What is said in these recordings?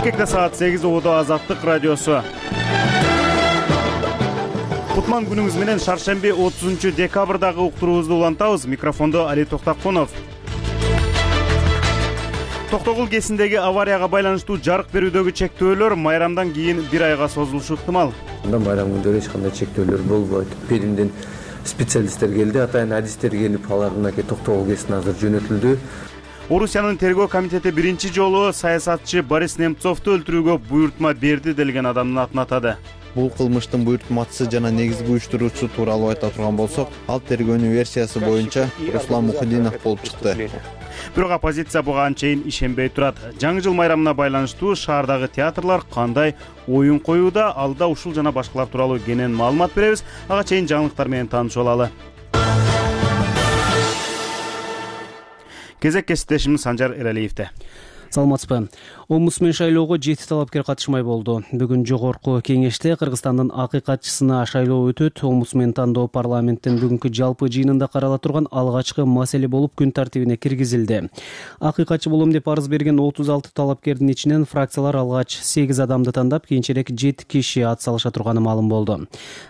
Бишкекте саат 8 убада Азаттык радиосу. Кутман күнүңүз менен шаршемби 30-декабрдагы уктуруубузду улантабыз. Микрофондо Али Токтакунов. Токтогул кесиндеги аварияга байланыштуу жарык берүүдөгү чектөөлөр майрамдан кийин 1 айга созулушу ыктымал. Майрам күндөрү эч кандай чектөөлөр болбойт. Перимден специалисттер келди, атайын адистер келип, алардын Токтогул кесине азыр жөнөтүлдү. Орусиянын тергөө комитети биринчи жолу саясатчы Борис Немцовду өлтүрүүгө буйртма берди делген адамдын атын атады. Бул кылмыштын буйртмачысы жана негизги уюштуруучусу тууралуу айта турган болсок, ал тергөөнүн версиясы боюнча Руслан Мухиддинов болуп чыкты. Бирок оппозиция буга анчейин ишенбей турат. Жаңы жыл майрамына байланыштуу шаардагы театрлар кандай оюн коюуда, алда ушул жана башкалар тууралуу кенен маалымат беребиз. Ага чейин жаңылыктар менен таанышып алалы. Кезек кесиптешimiz Санжар Эралиевде. Саламатсызбы. Омбудсмен шайлоого 7 талапкер катышмай болду. Бүгүн жогорку кеңеште Кыргызстандын акыйкатчысына шайлоо өтөт. Омбудсмен тандоо парламенттин бүгүнкү жалпы жыйынында карала турган алгачкы маселе болуп күн тартибине киргизилди. Акыйкатчы болом деп арыз берген 36 талапкердин ичинен фракциялар алгач 8 адамды тандап, кийинчерээк 7 киши ат салыша турганы маалым болду.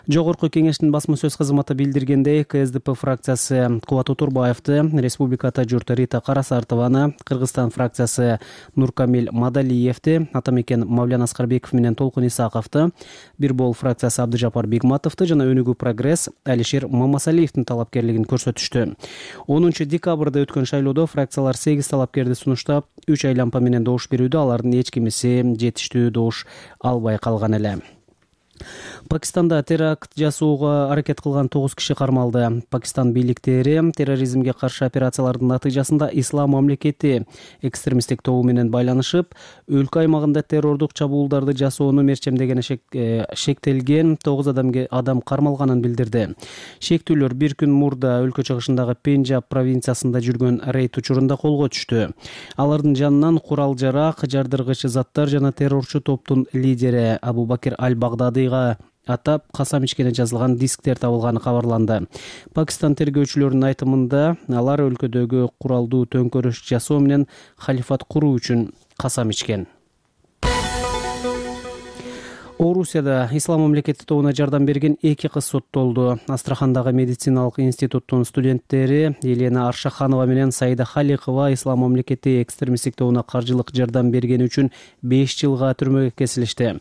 Жогорку кеңештин басма сөз кызматы билдиргендей, КСДП фракциясы Кубат Утурбаевди, Республиката журт Рита Карасартованы, Кыргызстан фракциясы Нуркамил Мадалиевди, Атамекен Мавлян Аскарбеков менен Толкун Исаковду, Бирбол фракциясы Абдыжапар Бигматовду жана Өнүгүү прогресс Алишер Мамасалиевдин талапкерлигин көрсөтүштү. 10 декабрда өткөн шайлоодо фракциялар 8 талапкерди сунуштап, 3 айлампа менен добуш берүүдө, алардын эч кимиси жетиштүү добуш албай калган эле. Пакистанда теракт жасоого аракет кылган 9 киши кармалды. Пакистан бийликтери терроризмге каршы операциялардын натыйжасында Ислам мамлекети экстремисттик тобу менен байланышып, өлкө аймагында террордук чабуулдарды жасоону мерчемдегени шектелген 9 адам кармалганын билдирди. Шектүүлөр бир күн мурда өлкө чыгышындагы Пенджаб провинциясында жүргөн рейд учурунда колго түштү. Алардын жанынан курал-жарак, жардыргыч заттар жана террорчу топтун лидери Абу Бакир Аль-Багдадыйга атап касам ичкени жазылган дисктер табылганы кабарланды. Пакистан тергөөчүлөрүнүн айтымында, алар өлкөдөгү куралдуу төңкөрүш жасоо менен халифат куруу үчүн касам ичкен. Орусияда Ислам мамлекети тобуна жардам берген 2 кыз соттолду. Астрахандагы медициналык институттун студенттери Елена Аршаханова менен Саида Халикова Ислам мамлекети экстремисттик тобуна каржылык жардам бергени үчүн 5 жылга түрмөгө кесилишти.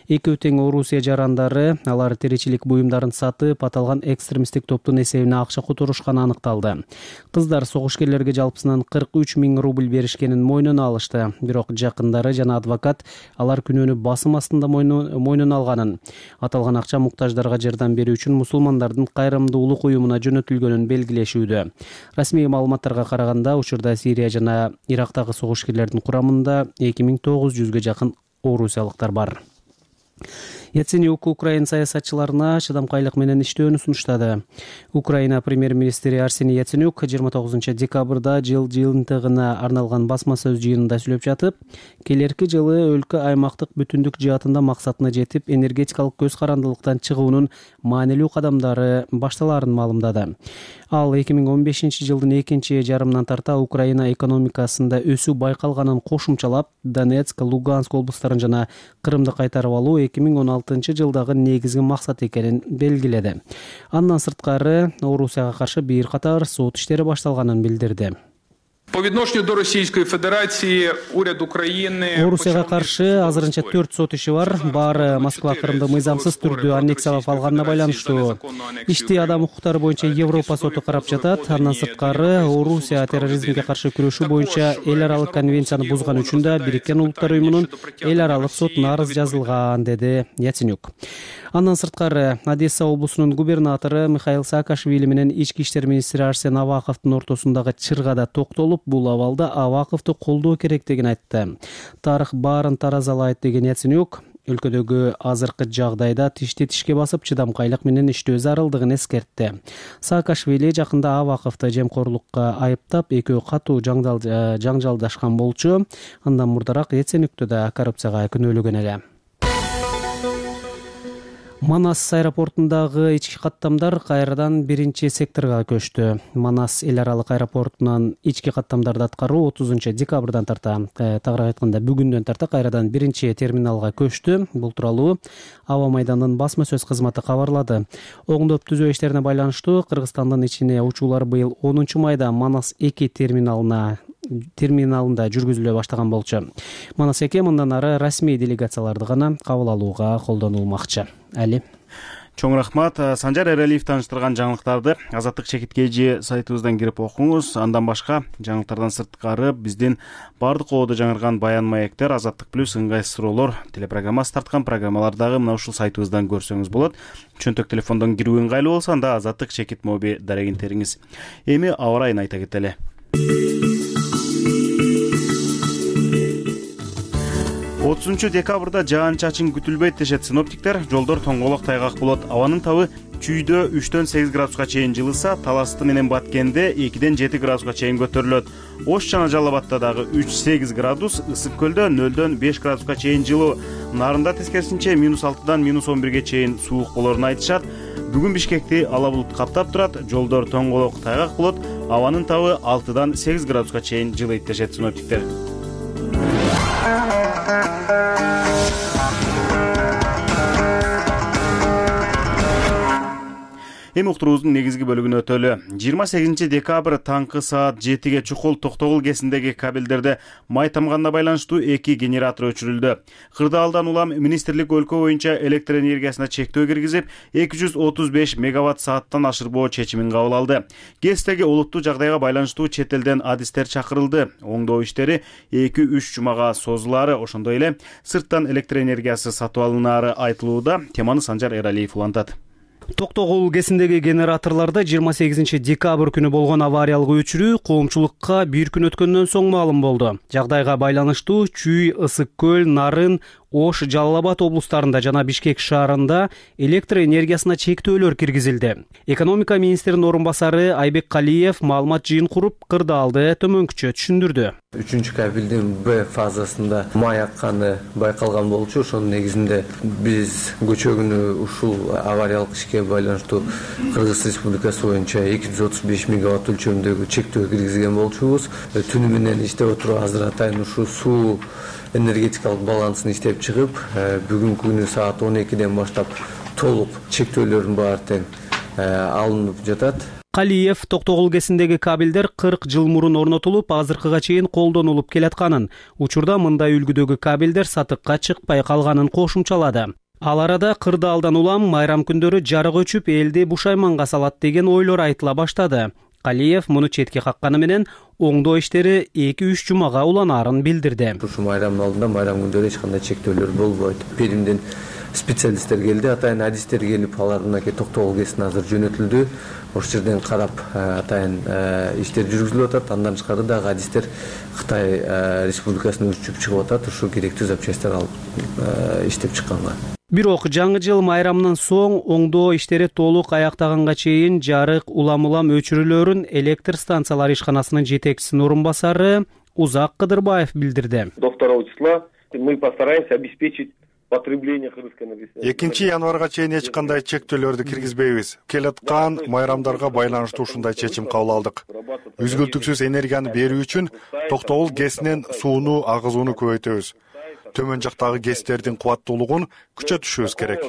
Экөө тең Орусия жарандары, алар тиричилик буюмдарын сатып, аталган экстремисттик топтун эсебине акча которушканы аныкталды. Кыздар согушкерлерге жалпысынан 43 000 рубль беришкенин мойнуна алышты. Бирок жакындары жана адвокат алар күнөөнү басым астында мойнуна алганын, аталган акча муктаждарга жардам берүү үчүн мусулмандардын кайрымдуулук уюмуна жөнөтүлгөнүн белгилешүүдө. Расмий маалыматтарга караганда, учурда Сирия жана Ирактагы согушкерлердин курамында 2900ге жакын орусиялыктар бар. Яценюк Украина саясатчыларына чыдамкайлык менен иштөөнү сунуштады. Украина премьер-министри Арсений Яценюк 29 декабрда жыл жыйынтыгына арналган басма сөз жыйынында сүйлөп жатып, келерки жылы өлкө аймактык бүтүндүк жаатында максатына жетип, энергетикалык көз карандылыктан чыгуунун маанилүү кадамдары башталаарын маалымдады. Ал 2015 жылдын экинчи жарымынан тарта Украина экономикасында өсүү байкалганын кошумчалап, Донецк, Луганск облустарын жана Крымды кайтарып алуу 2016 жылдагы негизги максат экенин белгиледи. Андан сырткары Орусияга каршы бир катар сот иштери башталганын билдирди. По відношенню до Російської Федерації уряд України Орусияга каршы азырынча 4 сот иши бар. Баары Москва Крымды мыйзамсыз түрдө аннексиялап алганына байланыштуу. Ишти адам укуктары боюнча Европа соту карап жатат. Андан сырткары Орусия терроризмге каршы күрөшүү боюнча эл аралык конвенцияны бузган үчүн да Бириккен Улуттар уюмунун эл аралык сотуна арыз жазылган, деди Яценюк. Андан сырткары Одесса облусунун губернатору Михаил Саакашвили менен ички иштер министри Арсен Аваковдун ортосундагы чыргада токтолуп, бул абалда Аваковду колдоо керектигин айтты. Тарых баарын таразалайт деген Яценюк өлкөдөгү азыркы жагдайда тишти тишке басып чыдамкайлык менен иштөө зарылдыгын эскертти. Саакашвили жакында Аваковду жемкорлукка айыптап, экөө катуу жаңжалдашкан болчу. Андан мурдараак Яценюкту да коррупцияга күнөөлөгөн эле. Манас аэропортундагы ички каттамдар кайрадан биринчи секторго көчтү. Манас эл аралык аэропортунан ички каттамдарды аткаруу 30 декабрдан тарта, тагыраак айтканда бүгүндөн тарта кайрадан биринчи терминалга көчтү. Бул тууралуу Аба майданынын басма сөз кызматы кабарлады. Оңдоп түзөө иштерине байланыштуу Кыргызстандын ичине учуулар быйыл 10 майда Манас 2 терминалында жүргүзүлө баштаган болчу. Манас 2 мындан ары расмий делегацияларды гана кабыл алууга колдонулмакчы. Али. Чоң рахмат. Санжар Эралиев тааныштырган жаңылыктарды Азаттык чекиткежи сайтыбыздан кирип окуңуз. Андан башка жаңылыктардан сырткары биздин бардык оодо жаңырган баян маектер, Азаттык плюс, ыңгайсыз суроолор телепрограммасы тарткан программалардагы мына ушул сайтыбыздан көрсөңүз болот. Чөнтөк телефондон кирүү ыңгайлуу болсо, анда Азаттык чекит моби дарегинтериңиз. Эми аба ырайын айта кетели. 30 декабрда жаан-чачын күтүлбөйт дешет синоптиктер. Жолдор тоңголок тайгак болот. Абанын табы чүйдө 3-төн 8 градуска чейин жылыса, Таласты менен Баткенде 2-ден 7 градуска чейин көтөрүлөт. Ош жана Жалал Абадта дагы 3-8 градус, Ысык көлдө 0-дөн 5 градуска чейин жылуу. Нарында тескерисинче -6-дан -11ге чейин суук болорун айтышат. Бүгүн Бишкекти ала булут каптап турат, жолдор тоңголок тайгак болот. Абанын табы 6-дан 8 градуска чейин жылыйт дешет синоптиктер. Эми уктуруубуздун негизги бөлүгүнө өтөлү. 28 декабрь таңкы саат 7ге Чукул Токтогул кесиндеги кабелдерде май тамганына байланыштуу 2 генератор өчүрүлдү. Кырдаалдан улам министрлик өлкө боюнча электр энергиясына чектөө киргизип, 235 мегаватт сааттан ашырбоо чечимин кабыл алды. ГЭСтеги олуттуу жагдайга байланыштуу чет элден адистер чакырылды. Оңдоо иштери 2-3 жумага созулаары, ошондой эле сырттан электр энергиясы сатып алынаары айтылууда. Теманы Санжар Эралиев улантат. Токтогул кесиндеги генераторлордо 28 декабрь күнү болгон авариялык өчүрүү коомчулукка бир күн өткөндөн соң маалым болду. Жагдайга байланыштуу Чүй, Ысык көл, Нарын, Ош, Жалал Абад облустарында жана Бишкек шаарында электр энергиясына чектөөлөр киргизилди. Экономика министринин орун басары Айбек Калиев маалымат жыйын куруп, кырдаалды төмөнкүчө түшүндүрдү. 3 кабелдин Б фазасында май акканы байкалган болчу. Ошонун негизинде биз көчө күнү ушул авариялык ишке байланыштуу Кыргыз Республикасы боюнча 235 мегаватт өлчөмүндөгү чектөө киргизген болчубуз. Түнү менен иштеп отуруп азыр атайын ушул суу энергетикалык балансын иштеп чыгып, бүгүнкү күнү саат 12ден баштап толук чектөөлөрдүн баары тең алынып жатат. Калиев Токтогул кесиндеги кабелдер 40 жыл мурун орнотулуп, азыркыга чейин колдонулуп келатканын, учурда мындай үлгүдөгү кабелдер сатыкка чыкпай калганын кошумчалады. Ал арада кырдаалдан улам майрам күндөрү жарык өчүп, элди бушайманга салат деген ойлор айтыла баштады. Калиев муну четке какканы менен оңдоо иштери 2-3 жумага уланаарын билдирди. Ушу майрамдын алдында майрам күндөрү эч кандай чектөөлөр болбойт. Перимден специалисттер келди, атайын адистер келип, алар мынакей Токтогул кесине азыр жөнөтүлдү. Ошол жерден карап атайын иштер жүргүзүлүп атат. Андан тышкары дагы адистер Кытай Республикасына учуп чыгып атат. Ушул керектүү запчастьтар алып иштеп чыкканга. Бирок жаңы жыл майрамынан соң оңдоо иштери толук аяктаганга чейин жарык улам-улам өчүрүлөрүн электр станциялары ишканасынын жетекчисинин орун басары Узак Кыдырбаев билдирди. До 2 числа мы постараемся обеспечить потребление кыргызской энергетики. 2 январга чейин эч кандай чектөөлөрдү киргизбейбиз. Келаткан майрамдарга байланыштуу ушундай чечим кабыл алдык. Үзгүлтүксүз энергияны берүү үчүн Токтогул ГЭСинен сууну агызууну көбөйтөбүз. Төмөн жактагы ГЭСтердин кубаттуулугун күчөтүшүбүз керек.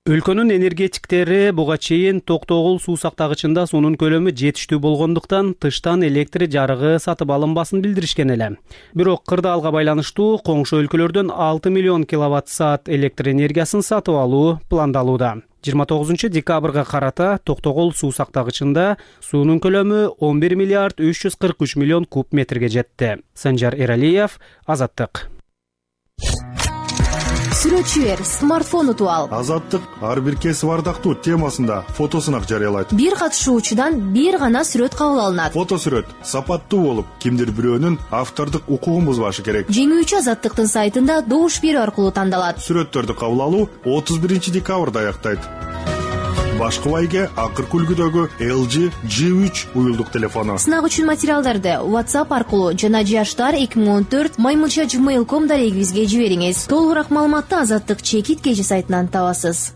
Өлкөнүн энергетиктери буга чейин Токтогул суу сактагычында суунун көлөмү жетиштүү болгондуктан тыштан электр жарыгы сатып алынбасын билдиришкен эле. Бирок кырдаалга байланыштуу коңшу өлкөлөрдөн 6 миллион киловатт саат электр энергиясын сатып алуу пландалууда. 29 декабрга карата Токтогул суу сактагычында суунун көлөмү 11 миллиард 343 миллион куб метрге жетти. Санжар Эралиев, Азаттык. Сүрөтчүлөр смартфон утуп ал. Азаттык ар бир кесип ардактуу темасында фотосунак жарыялайт. Бир катышуучудан бир гана сүрөт кабыл алынат. Фотосүрөт сапаттуу болуп, кимдир бирөөнүн автордук укугун бузбашы керек. Жеңүүчү Азаттыктын сайтында добуш берүү аркылуу тандалат. Сүрөттөрдү кабыл алуу 31 декабрда аяктайт. Башкыбайга акыркы үлгүдөгү LG G3 уюлдук телефону. Сынак үчүн материалдарды WhatsApp аркылуу жана jashtar2014@gmail.com дарегибизге жибериңиз. Толугураак маалыматты Азаттык чекит кежи сайтынан табасыз.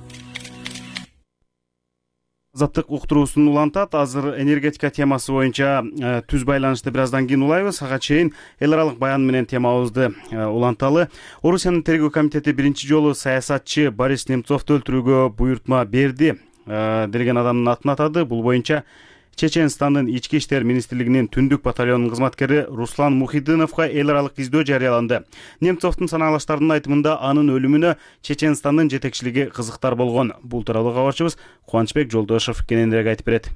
Азаттык уктуруусун улантат. Азыр энергетика темасы боюнча түз байланышты бир аздан кийин улайбыз. Ага чейин эл аралык баян менен темабызды уланталы. Орусиянын тергөө комитети биринчи жолу саясатчы Борис Немцовду өлтүрүүгө буйрутма берди делген адамдын атын атады. Бул боюнча Чеченстандын ички иштер министрлигинин түндүк батальонунун кызматкери Руслан Мухидиновго эл аралык издөө жарыяланды. Немцовдун санаалаштарынын айтымында анын өлүмүнө Чеченстандын жетекчилиги кызыктар болгон. Бул тууралуу кабарчыбыз Кубанычбек Жолдошов кененирээк айтып берет.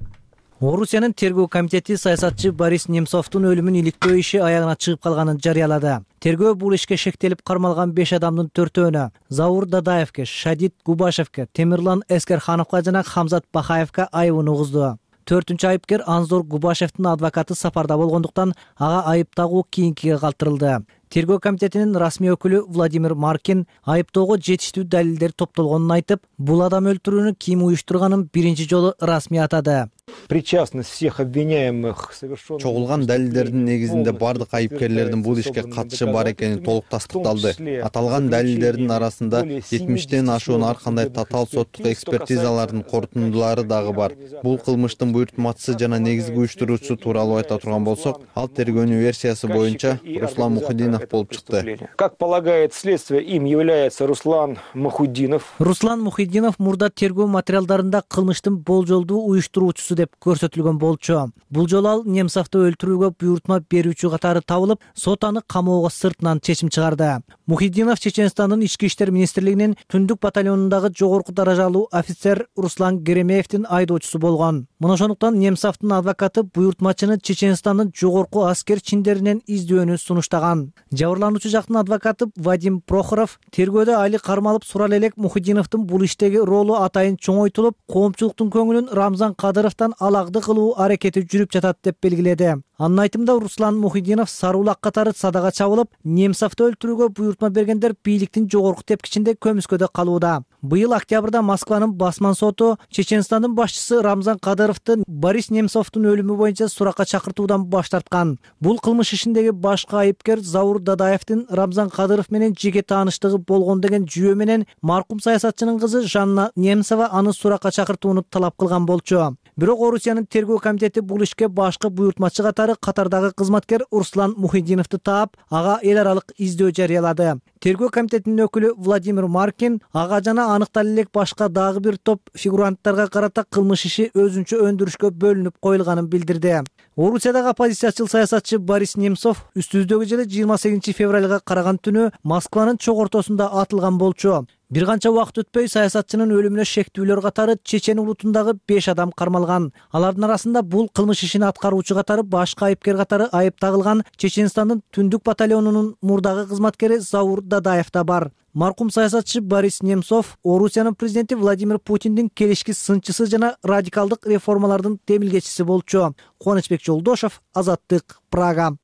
Орусиянын тергөө комитети саясатчы Борис Немцовдун өлүмүн иликтөө иши аягына чыгып калганын жарыялады. Тергөө бул ишке шектелип кармалган 5 адамдын 4-өөнө Заур Дадаевке, Шадид Губашевке, Темирлан Эскерхановго жана Хамзат Бахаевке айыбын угузду. 4-үнчү айыпкер Анзор Губашевдин адвокаты сапарда болгондуктан ага айып тагуу кийинкиге калтырылды. Тергөө комитетинин расмий өкүлү Владимир Маркин айыптоого жетиштүү далилдер топтолгонун айтып, бул адам өлтүрүүнү ким уюштурганын биринчи жолу расмий атады. Причастность всех обвиняемых совершенно чогулган далилдердин негизинде бардык айыпкерлердин бул ишке катышы бар экени толук тастыкталды. Аталган далилдердин арасында 70тен ашуун ар кандай татаал соттук экспертизалардын корутундулары дагы бар. Бул кылмыштын буйртмачысы жана негизги уюштуруучусу тууралуу айта турган болсок, ал тергөөнүн версиясы боюнча Руслан Мухидинов болуп чыкты. Как полагает следствие, им является Руслан Мухидинов. Руслан Мухидинов мурда тергөө материалдарында кылмыштын болжолдуу уюштуруучусу деп көрсөтүлгөн болчу. Бул жолу ал Немцовду өлтүрүүгө буйрутма берүүчү катары табылып, сот аны камоого сыртынан чечим чыгарды. Мухидинов Чеченстандын ички иштер министрлигинин түндүк батальонундагы жогорку даражалуу офицер Руслан Геремеевдин айдоочусу болгон. Мына ошондуктан Немцовдун адвокаты буйрутмачыны Чеченстандын жогорку аскер чиндеринен издөөнү сунуштаган. Жабырлануучу жактын адвокаты Вадим Прохоров тергөөдө айыл кармалып сурал элек Мухидиновдун бул иштеги ролу атайын чоңойтулуп, коомчулуктун көңүлүн Рамзан Кадыровдон алакты кылуу аракети жүрүп жатат деп белгиледи. Анын айтымында Руслан Мухидинов сарулак катары садага чабылып, Немцовду өлтүрүүгө буйрутма бергендер бийликтин жогорку тепкичинде көмүскөдө калууда. Быйыл октябрда Москванын басман соту Чеченстандын башчысы Рамзан Кадыровду Борис Немцовдун өлүмү боюнча суракка чакыртуудан баш тарткан. Бул кылмыш ишиндеги башкы айыпкер Заур Дадаевдин Рамзан Кадыров менен жеке тааныштыгы болгон деген жүйө менен маркум саясатчынын кызы Жанна Немцова аны суракка чакыртууну талап кылган болчу. Бирок Орусиянын тергөө комитети бул ишке башкы буйртмачы катары катардагы кызматкер Руслан Мухидиновду таап, ага эл аралык издөө жарыялады. Тергөө комитетинин өкүлү Владимир Маркин ага жана аныкталып элек башка дагы бир топ фигуранттарга карата кылмыш иши өзүнчө өндүрүшкө бөлүнүп коюлганын билдирди. Орусиядагы оппозициячыл саясатчы Борис Немцов үстүбүздөгү жылы 28 февралга караган түнү Москванын чок ортосунда атылган болчу. Бир канча убакыт өтпөй саясатчынын өлүмүнө шектүүлөр катары Чечен улутундагы 5 адам кармалган. Алардын арасында бул кылмыш ишин аткаруучу катары башка айыпкер катары айып тагылган Чеченстандын түндүк батальонунун мурдагы кызматкери Заур Дадаев да бар. Маркум саясатчы Борис Немцов Орусиянын президенти Владимир Путиндин келишки сынчысы жана радикалдык реформалардын темилгечиси болчу. Кубанычбек Жолдошов, Азаттык, Прага.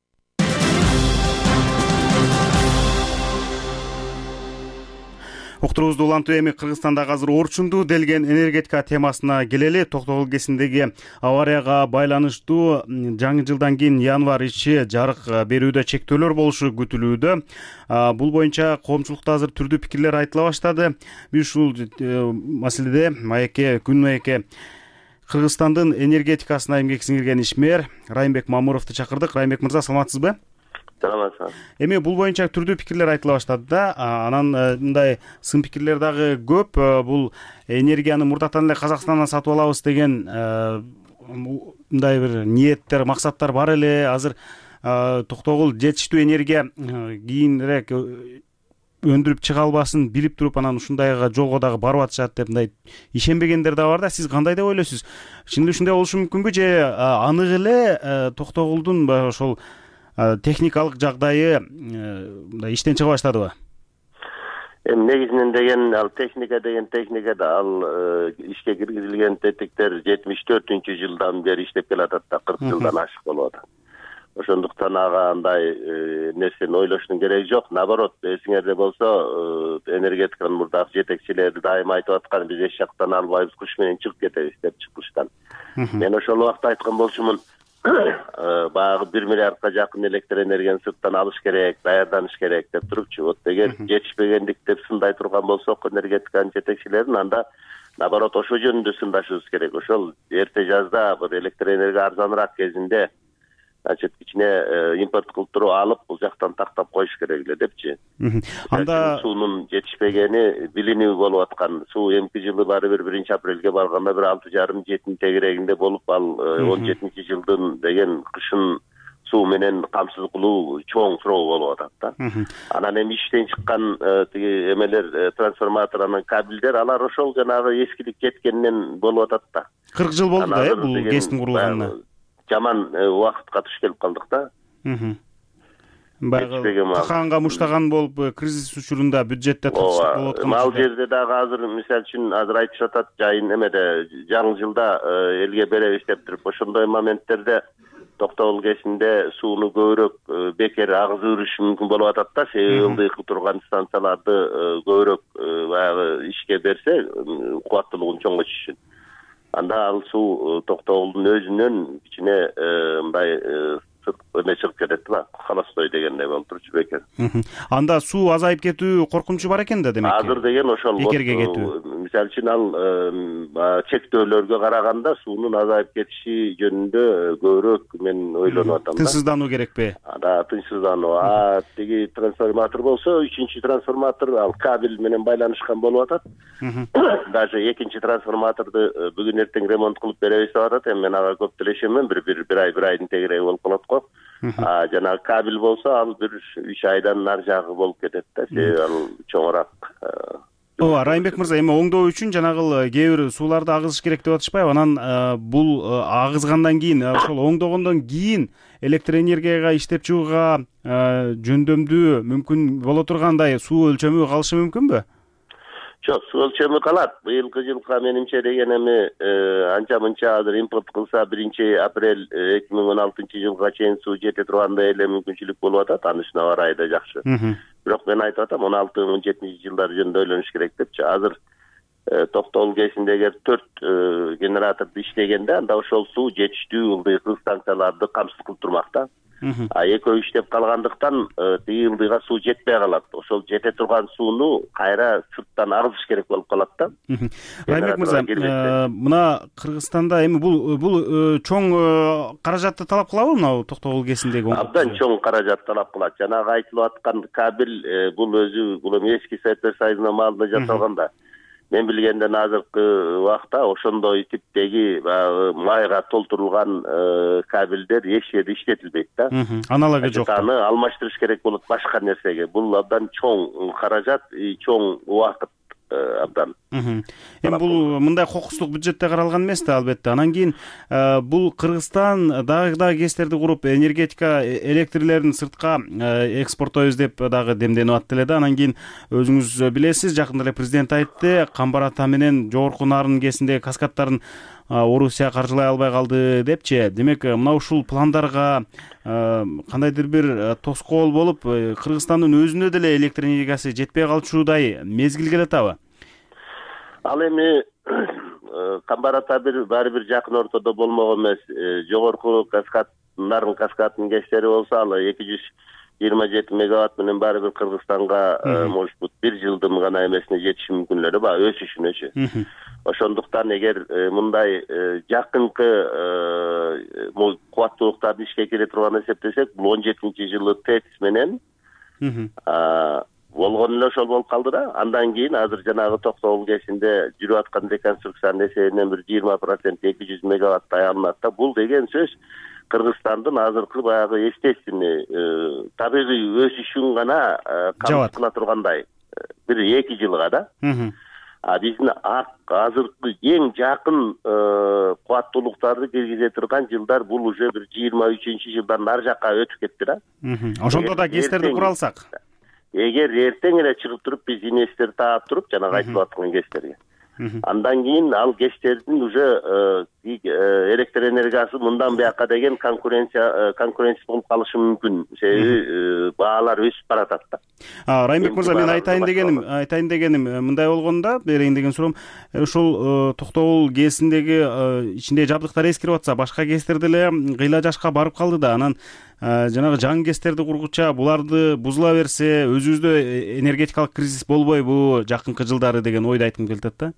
Уктуруубузду улантуу эми Кыргызстандагы азыр орчундуу делген энергетика темасына келели. Токтогул КЭСиндеги аварияга байланыштуу жаңы жылдан кийин январь ичи жарык берүүдө чектөөлөр болушу күтүлүүдө. Бул боюнча коомчулукта азыр түрдүү пикирлер айтыла баштады. Биз ушул маселеде күн маекке Кыргызстандын энергетикасына эмгек сиңирген ишмер Райымбек Мамуровду чакырдык. Райымбек мырза, саламатсызбы? Саламатсызбы. Эми бул боюнча түрдүү пикирлер айтыла баштады да. Анан мындай сын пикирлер дагы көп. Бул энергияны мурдатан эле Казакстандан сатып алабыз деген мындай бир ниеттер, максаттар бар эле. Азыр Токтогул жетиштүү энергия кийинирээк өндүрүп чыга албасын билип туруп анан ушундайга жолго дагы барып атышат деп мындай ишенбегендер да бар да. Сиз кандай деп ойлойсуз? Чын эле ушундай болушу мүмкүнбү же анык эле Токтогулдун ошол техникалык жагдайы иштен чыга баштадыбы? Негизинен деген ал техникада ал ишке киргизилген тетиктер 74-жылдан бери иштеп келатат да, 40 жылдан ашык болуп атат. Ошондуктан ага андай нерсени ойлоштун кереги жок. Наоборот, эсиңерде болсо, энергетиканын мурдагы жетекчилери дайыма айтып аткан, биз эч жактан албайбыз, кыш менен чыгып кетебиз деп чыккычтан. Мен ошол убакта айткан болчумун, баягы 1 миллиардка жакын электр энергияны сырттан алыш керек, даярданыш керек деп турупчу. Вот эгер жетишпегендик деп сындай турган болсок энергетиканын жетекчилерин, анда наоборот ошо жөнүндө сындашыбыз керек. Ошол эрте жазда бир электр энергия арзаныраак кезинде кичине импорт кылып туруп алып, бул жактан тактап коюш керек эле депчи. Анда суунун жетишпегени билинүү болуп аткан. Суу эмки жылы баары бир 1-апрелге барганда бир 6,5-7 тегерегинде болуп, ал 17-жылдын деген кышын суу менен камсыз кылуу чоң суроо болуп атат да. Анан эми иштен чыккан тиги эмелер, трансформатор, анан кабелдер, алар ошол жанагы эскилик кеткенинен болуп атат да. 40 жыл болду да, бул ГЭСтин курулганына. Жаман убакытка туш келип калдык да. Баягы такаанга муштаган болуп, кризис учурунда бюджетте татыштык болуп аткан. Ал жерде дагы азыр мисалы үчүн азыр айтышып атат, жайын эмеде жаңы жылда элге беребиз деп туруп, ошондой моменттерде Токтогул ГЭСинде сууну көбүрөөк бекер агызып жүрүш мүмкүн болуп атат да. Себеби ылдыйкы турган станцияларды көбүрөөк баягы ишке берсе, кубаттуулугун чоңойтуш үчүн. Анда ал суу Токтогулдун өзүнөн кичине мындай эме чыгып кетет да, холостой дегендей болуп турчу бекер. Анда суу азайып кетүү коркунучу бар экен да, демек. Азыр деген ошол бекерге кетүү. Мисалы үчүн ал чектөөлөргө караганда суунун азайып кетиши жөнүндө көбүрөөк мен ойлонуп атам да. Тынчсыздануу керекпи? Тынчсыздануу. Тиги трансформатор болсо, 3-чү трансформатор ал кабель менен байланышкан болуп атат. Даже 2-чи трансформаторду бүгүн эртең ремонт кылып беребиз деп атат. Эми мен ага көп делешемин, бир айдын тегереги болуп калат го. Жанагы кабель болсо, ал бир 3 айдан нары жагы болуп кетет да. Себеби ал чоңураак. Ооба, Райымбек мырза, эми оңдоо үчүн жанагы кээ бир сууларды агызыш керек деп атышпайбы? Анан бул агызгандан кийин, ошол оңдогондон кийин электр энергияга иштеп чыгууга жөндөмдүү мүмкүн боло тургандай суу өлчөмү калышы мүмкүнбү? Жок, суу өлчөмү калат. Быйылкы жылга менимче деген эми анча-мынча азыр импорт кылса 1-апрель 2016-жылга чейин суу жете тургандай эле мүмкүнчүлүк болуп атат. Анысына барай да жакшы. Бирок мен айтып атам, 16-17-жылдар жөнүндө ойлонуш керек депчи. Азыр Токтогул ГЭСинде эгер 4 генераторду иштегенде, анда ошол суу жетиштүү ылдыйкы станцияларды камсыз кылып турмак да. Экөө иштеп калгандыктан тиги ылдыйга суу жетпей калат. Ошол жете турган сууну кайра сырттан агызыш керек болуп калат да. Райымбек мырза, мына Кыргызстанда эми бул чоң каражатты талап кылабы мына Токтогул ГЭСиндеги? Абдан чоң каражат талап кылат. Жанагы айтылып аткан кабель бул өзү бул эски Советтер Союзунун маалында жасалган да. Мен билгенден азыркы убакта ошондой типтеги майга толтурулган кабелдер эч жерде иштетилбейт да. Аналогу жок. Аны алмаштырыш керек болот башка нерсеге. Бул абдан чоң каражат, чоң убакыт абдан. Эми бул мындай кокустук бюджетте каралган эмес да, албетте. Анан кийин бул Кыргызстан дагы ГЭСтерди куруп, энергетика электрлерин сыртка экспорттойбуз деп дагы демденип атты эле да. Анан кийин өзүңүз билесиз, жакында эле президент айтты, Камбар Ата менен жогорку Нарын ГЭСиндеги каскадтарын Орусия каржылай албай калды депчи. Демек, мына ушул пландарга кандайдыр бир тоскоол болуп, Кыргызстандын өзүнө деле электр энергиясы жетпей калчудай мезгил келет абы? Ал эми Камбар Ата баары бир жакын ортодо болмогон эмес. Жогорку каскад, Нарын каскадынын ГЭСтери болсо, ал 227 мегаватт менен баары бир Кыргызстанга может быть 1 жылдын гана эмесине жетиши мүмкүнлүгү бар, өсүшүнөчү. Ошондуктан эгер мындай жакынкы кубаттуулуктарды ишке кире турганын эсептесек, бул 17-жылы ТЭЦ менен болгон эле ошол болуп калды да. Андан кийин азыр жанагы Токтогул ГЭСинде жүрүп аткан реконструкциянын эсебинен бир 20% 200 мегаватт аяланат да. Бул деген сөз Кыргызстандын азыркы баягы естественный табигый өсүшүн гана камсыз кыла тургандай бир 2 жылга да. Биздин азыркы эң жакын кубаттуулуктарды киргизе турган жылдар бул уже бир 23-жылдан нары жакка өтүп кетти да. Ошондо да ГЭСтерди кура алсак. Эгер эртең эле чыгып туруп биз инвестор таап туруп жанагы айтылып аткан ГЭСтерге Андан кийин ал ГЭСтердин уже электр энергиясы мындан бияка деген конкуренция болуп калышы мүмкүн. Себеби баалар өсүп баратат да. Райымбек мырза, мен айтайын дегеним мындай болгондо, берейин деген суроом, ушул Токтогул ГЭСиндеги ичиндеги жабдыктар эскирип атса, башка ГЭСтер деле кыйла жашка барып калды да. Анан жанагы жаңы ГЭСтерди кургуча буларды бузула берсе, өзүбүздө энергетикалык кризис болбойбу жакынкы жылдары деген ойду айткым келип атат да.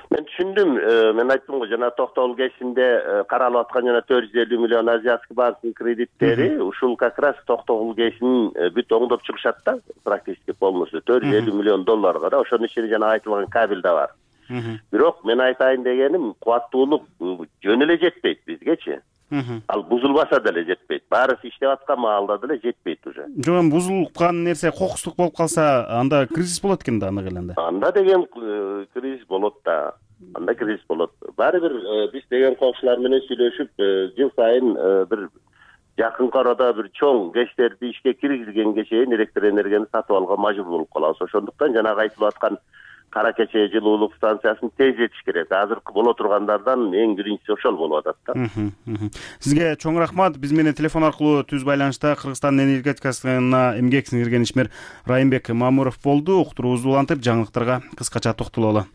Мен түшүндүм. Мен айттым го, жана Токтогул ГЭСинде каралып аткан жана 450 миллион Азиатский банктын кредиттери ушул как раз Токтогул ГЭСин бүт оңдоп чыгышат да, практически полностью $450 миллион да. Ошонун ичинде жана айтылган кабель да бар. Бирок мен айтайын дегеним, кубаттуулук жөн эле жетпейт бизгечи. Ал бузулбаса деле жетпейт. Баарысы иштеп аткан маалда деле жетпейт уже. Жок, эми бузулган нерсе кокустук болуп калса, анда кризис болот экен да, аны келгенде. Анда деген кризис болот да. Анда кризис болот. Баары бир биз деген коңшулар менен сүйлөшүп, жыл сайын бир жакынкы арада бир чоң ГЭСтерди ишке киргизгенге чейин электр энергияны сатып алууга мажбур болуп калабыз. Ошондуктан жанагы айтылып аткан Кара Кече жылуулук станциясын тездетиш керек. Азыркы боло тургандардан эң биринчиси ошол болуп атат да. Сизге чоң рахмат. Биз менен телефон аркылуу түз байланышта Кыргызстандын энергетикасына эмгек сиңирген ишмер Райымбек Мамуров болду. Уктуруубузду улантып, жаңылыктарга кыскача токтололу.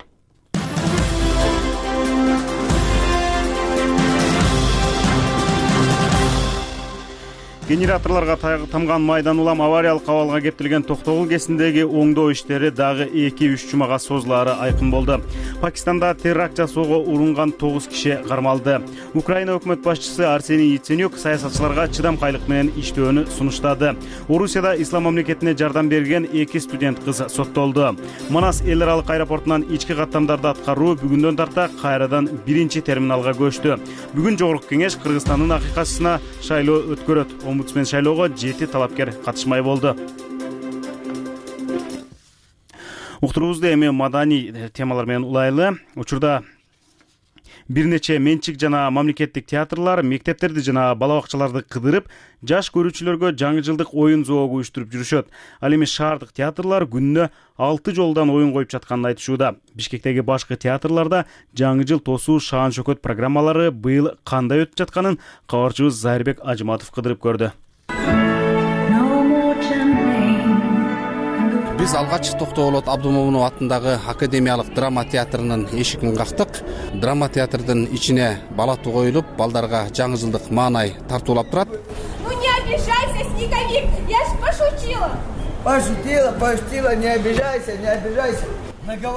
Генераторлорго тамган майдан улам авариялык абалга кептелген Токтогул ГЭСиндеги оңдоо иштери дагы 2-3 жумага созулаары айкын болду. Пакистанда теракт жасоого урунган 9 киши кармалды. Украина өкмөт башчысы Арсений Яценюк саясатчыларга чыдамкайлык менен иштөөнү сунуштады. Орусияда ислам мамлекетине жардам берген 2 студент кыз соттолду. Манас эл аралык аэропортунан ички каттамдарды аткаруу бүгүндөн тарта кайрадан 1-чи терминалга көчтү. Бүгүн жогорку кеңеш Кыргызстандын акыйкатчысына шайлоо өткөрөт. Омбудсмен шайлоого 7 талапкер катышмай болду. Уктуруубузду эми маданий темалар менен улайлы. Учурда бир нече менчик жана мамлекеттик театрлар мектептерди жана бала бакчаларды кыдырып, жаш көрүүчүлөргө жаңы жылдык оюн зоогу уюштуруп жүрүшөт. Ал эми шаардык театрлар күнүнө 6 жолдан оюн коюп жатканын айтышууда. Бишкектеги башкы театрларда жаңы жыл тосуу шаан шөкөт программалары быйыл кандай өтүп жатканын кабарчыбыз Зайырбек Ажыматов кыдырып көрдү. Биз алгач Токтогул Абдумомунов атындагы Академиялык драма театрынын эшигин кактык. Драма театрдын ичине балату коюлуп, балдарга жаңы жылдык маанай тартуулап турат. Ну не обижайся, снеговик, я ж пошутила. Пошутила, не обижайся.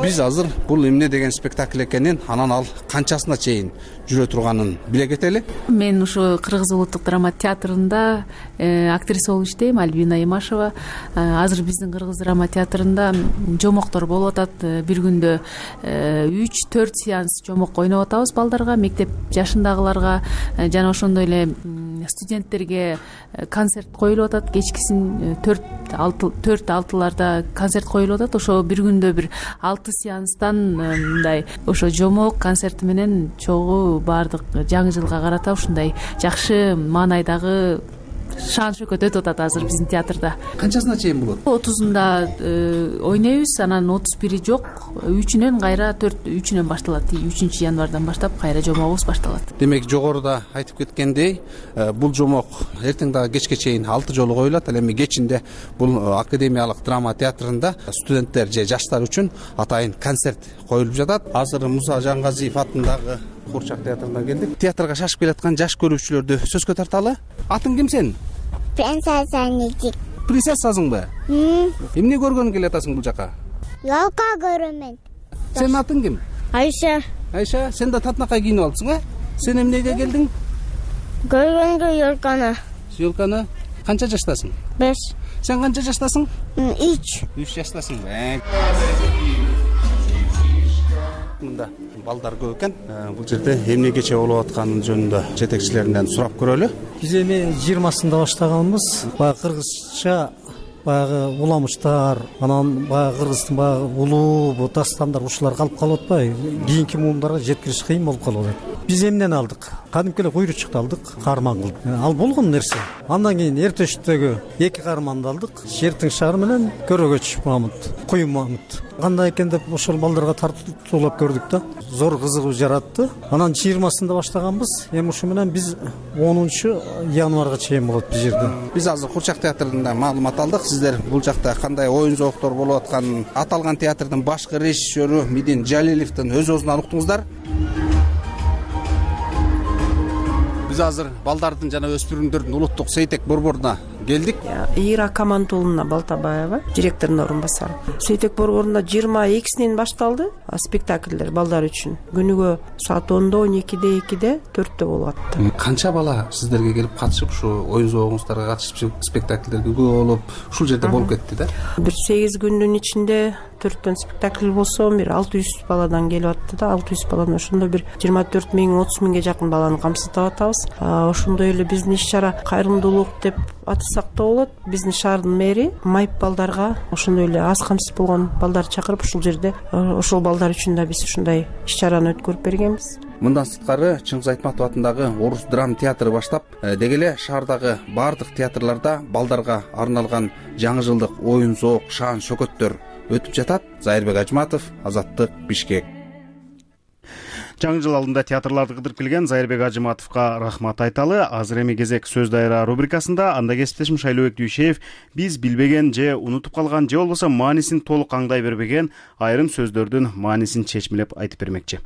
Биз азыр бул эмне деген спектакль экенин, анан ал канчасына чейин жүрө турганын биле кетели. Мен ушу Кыргыз улуттук драма театрында актриса болуп иштейм, Альбина Имашева. Азыр биздин Кыргыз драма театрында жомоктор болуп атат. Бир күндө 3-4 сеанс жомок ойноп атабыз балдарга, мектеп жашындагыларга жана ошондой эле студенттерге концерт коюлуп атат. Кечкисин 4-6ларда концерт коюлуп атат. Ошо бир күндө бир 6 сеанстан мындай ошо жомок концерти менен чогуу баардык жаңы жылга карата ушундай жакшы маанайдагы шаан шөкөт өтүп атат азыр биздин театрда. Канчасына чейин болот? 30-унда ойнойбуз, анан 31-и жок, 3-үнөн кайра 3-үнөн башталат. 3 январдан баштап кайра жомогубуз башталат. Демек жогоруда айтып кеткендей, бул жомок эртең дагы кечке чейин 6 жолу коюлат. Ал эми кечинде бул Академиялык драма театрында студенттер же жаштар үчүн атайын концерт коюлуп жатат. Азыр Муса Жангазиев атындагы Курчак театрынан келдик. Театрга шашып келаткан жаш көрүүчүлөрдү сөзгө тарталы. Атың ким сен? Принцесса Нитик. Принцессасыңбы? Эмне көргөнгө келатасың бул жака? Ялка көрөмүн. Сенин атың ким? Айша. Айша, сен да татынакай кийинип алыпсың, Сен эмнеге келдиң? Көргөнгө ёлканы. Ёлканы? Канча жаштасың? 5. Сен канча жаштасың? 3 жаштасың. Мында балдар көп экен. Бул жерде эмне кече болуп атканы жөнүндө жетекчилеринен сурап көрөлү. Биз эми 20-сында баштаганбыз. Баягы кыргызча баягы уламыштар, анан баягы кыргыздын баягы улуу бу дастандар ушулар калып калып атпайбы? Кийинки муумдарга жеткириш кыйын болуп калып атат. Биз эмнени алдык? Кадимки эле куйручукту алдык, каарман кылдык. Ал болгон нерсе. Андан кийин Эртештеги 2 каарманды алдык. Шертиң шаары менен Көрөгөч Мамут, Куюм Мамут. Кандай экен деп ошол балдарга тартуулап көрдүк да. Зор кызыгуу жаратты. Анан 20-сында баштаганбыз. Эми ушу менен биз 10-январга чейин болот бул жерде. Биз азыр Курчак театрында маалымат алдык. Сиздер бул жакта кандай оюн зооктор болуп атканын аталган театрдын башкы режиссеру Мидин Жалилевдин өз өзүнөн уктуңуздар. Биз азыр балдардын жана өспүрүмдөрдүн улуттук сейтек борборуна келдик. Ира Камантуловна Балтабаева, директордун орун басары. Сейтек борборунда 22-синен башталды спектакльдер балдар үчүн. Күнүгө саат 10-до, 12-де, 2-де, 4-тө болуп атты. Канча бала сиздерге келип катышып, ушу оюн зоогуңуздарга катышып спектакльдерге күбө болуп, ушул жерде болуп кетти да? Бир 8 күндүн ичинде 4 спектакль болсо, бир 600 баладан келип атты да. 600 баланы ошондо бир 24 миң, 30 миңге жакын баланы камсытып атабыз. Ошондой эле биздин иш-чара кайрымдуулук деп атасак да болот. Биздин шаардын мэри майып балдарга, ошондой эле аз камсыз болгон балдарды чакырып, ушул жерде ошол балдар үчүн да биз ушундай иш-чараны өткөрүп бергенбиз. Мындан сырткары Чыңгыз Айтматов атындагы Орус драма театры баштап, деги эле шаардагы бардык театрларда балдарга арналган жаңы жылдык оюн зоок, шаан шөкөттөр өтүп жатат. Зайырбек Ажматов, Азаттык, Бишкек. Жаңы жыл алдында театрларды кыдырып келген Зайырбек Ажыматовго рахмат айталы. Азыр эми кезек сөз дайра рубрикасында. Анда кесиптешим Шайлообек Дүйшеев биз билбеген же унутуп калган же болбосо маанисин толук аңдай бербеген айрым сөздөрдүн маанисин чечмелеп айтып бермекчи.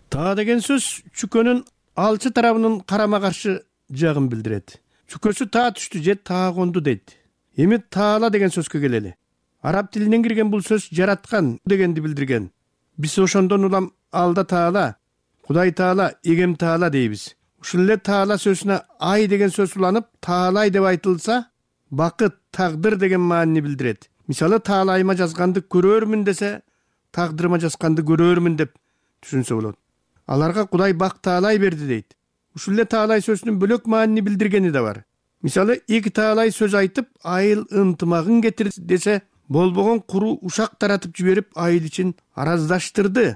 Таа деген сөз чүкөнүн алчы тарабынын карама каршы жагын билдирет. Чүкөсү таа түштү же таа конду дейт. Эми таала деген сөзгө келели. Араб тилинен кирген бул сөз жараткан дегенди билдирген. Биз ошондон улам алда таала, Кудай таала, эгем таала дейбиз. Ушул эле таала сөзүнө ай деген сөз уланып, таалай деп айтылса, бакыт, тагдыр деген маанини билдирет. Мисалы, таалайыма жазганды көрөрмүн десе, тагдырыма жазганды көрөрмүн деп түшүнсө болот. Аларга Кудай бак таалай берди дейт. Ушул эле таалай сөзүнүн бөлөк маанини билдиргени да бар. Мисалы, эки таалай сөз айтып, айыл ынтымагын кетир десе, болбогон куру ушак таратып жиберип, айыл ичин араздаштырды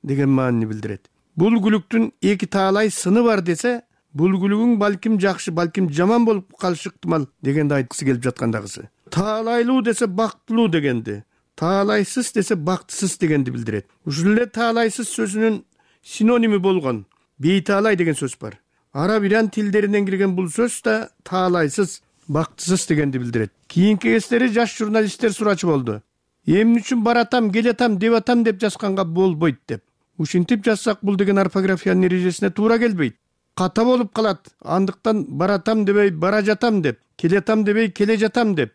деген маанини билдирет. Бул күлүктүн эки таалай сыны бар десе, бул күлүгүң балким жакшы, балким жаман болуп калышы ыктымал дегенди айткысы келип жаткандагысы. Таалайлуу десе бактылуу дегенди, таалайсыз десе бактысыз дегенди билдирет. Ушул эле таалайсыз сөзүнүн синоними болгон бейтаалай деген сөз бар. Араб иран тилдеринен кирген бул сөз да таалайсыз, бактысыз дегенди билдирет. Кийинки кездери жаш журналисттер сурачу болду. Эмне үчүн баратам, келетам, деп атам деп жазганга болбойт деп. Ушинтип жазсак бул деген орфографиянын эрежесине туура келбейт. Ката болуп калат. Андыктан баратам дебей бара жатам деп, келетам дебей келе жатам деп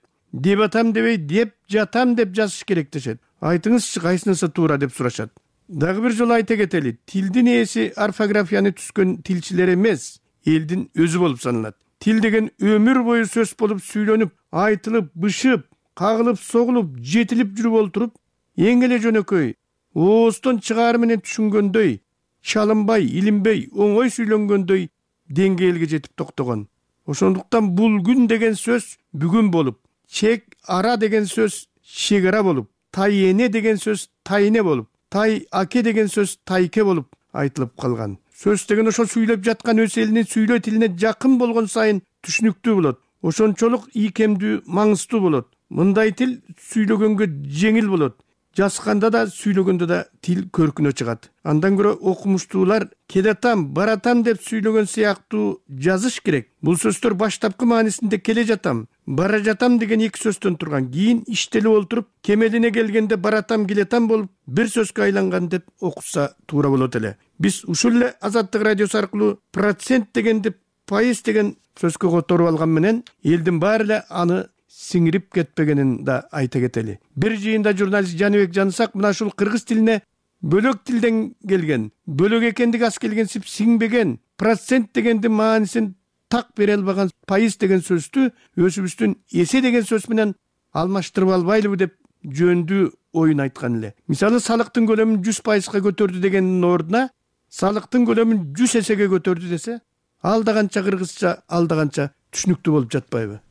атам дебей деп жатам деп жазыш керек дешет. Айтыңызчы, кайсынысы туура деп сурашат. Дагы бир жолу айта кетели, тилдин ээси орфографияны түзгөн тилчилер эмес, элдин өзү болуп саналат. Тил деген өмүр бою сөз болуп сүйлөнүп, айтылып, бышып, кагылып, согулуп, жетилип жүрүп олтуруп, эң эле жөнөкөй, ооздон чыгаары менен түшүнгөндөй, чалынбай, илинбей, оңой сүйлөнгөндөй деңгээлге жетип токтогон. Ошондуктан бул күн деген сөз бүгүн болуп, чек ара деген сөз чек ара болуп, тай эне деген сөз тайне болуп, тай аке деген сөз тайке болуп айтылып калган. Сөз деген ошо сүйлөп жаткан өз элинин сүйлөө тилине жакын болгон сайын түшүнүктүү болот. Ошончолук ийкемдүү, маңыздуу болот. Мындай тил сүйлөгөнгө жеңил болот. Жазганда да, сүйлөгөндө да тил көркүнө чыгат. Андан көрө окумуштуулар келетам, баратам деп сүйлөгөн сыяктуу жазыш керек. Бул сөздөр баштапкы маанисинде келе жатам, бара жатам деген эки сөздөн турган. Кийин иштелип олтуруп, кемелине келгенде баратам, келетам болуп, бир сөзгө айланган деп окуса туура болот эле. Биз ушул эле Азаттык радиосу аркылуу процент дегенди пайыз деген сөзгө которуп алган менен элдин баары эле аны сиңирип кетпегенин да айта кетели. Бир жыйында журналист Жаныбек Жанысак мына ушул кыргыз тилине бөлөк тилден келген, бөлөк экендиги аз келгенсип сиңбеген, процент дегенди маанисин так бере албаган пайыз деген сөздү өзүбүздүн эсе деген сөз менен алмаштырып албайлыбы деп жөндүү оюн айткан эле. Мисалы, салыктын көлөмүн 100%га көтөрдү дегендин ордуна салыктын көлөмүн 100 эсеге көтөрдү десе, ал да канча кыргызча, ал да канча түшүнүктүү болуп жатпайбы?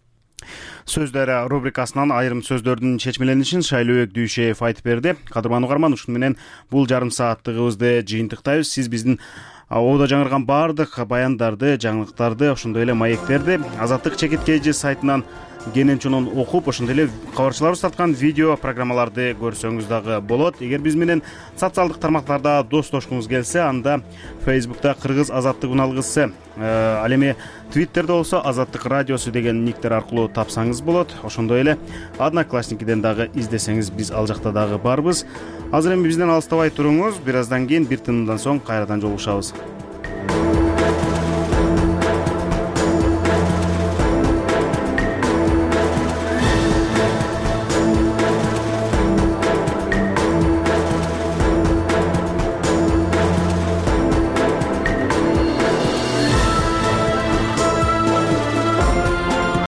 Сөз дайра рубрикасынан айрым сөздөрдүн чечмеленишин Шайлообек Дүйшеев айтып берди. Кадырман угарман, ушун менен бул жарым сааттыгыбызды жыйынтыктайбыз. Сиз биздин Ободо жаңырган баардык баяндарды, жаңылыктарды, ошондой эле маектерди Азаттык чекит KG сайтынан кенен чонун окуп, ошондой эле кабарчыларыбыз тарткан видео программаларды көрсөңүз дагы болот. Эгер биз менен социалдык тармактарда достошкуңуз келсе, анда Facebook'та Кыргыз Азаттык уналгысы, ал эми Twitter'де болсо Азаттык радиосу деген никтер аркылуу тапсаңыз болот. Ошондой эле Одноклассникиден дагы издесеңиз биз ал жакта дагы барбыз. Азыр эми бизден алыстабай туруңуз. Бир аздан кийин бир тынымдан соң кайрадан жолугушабыз.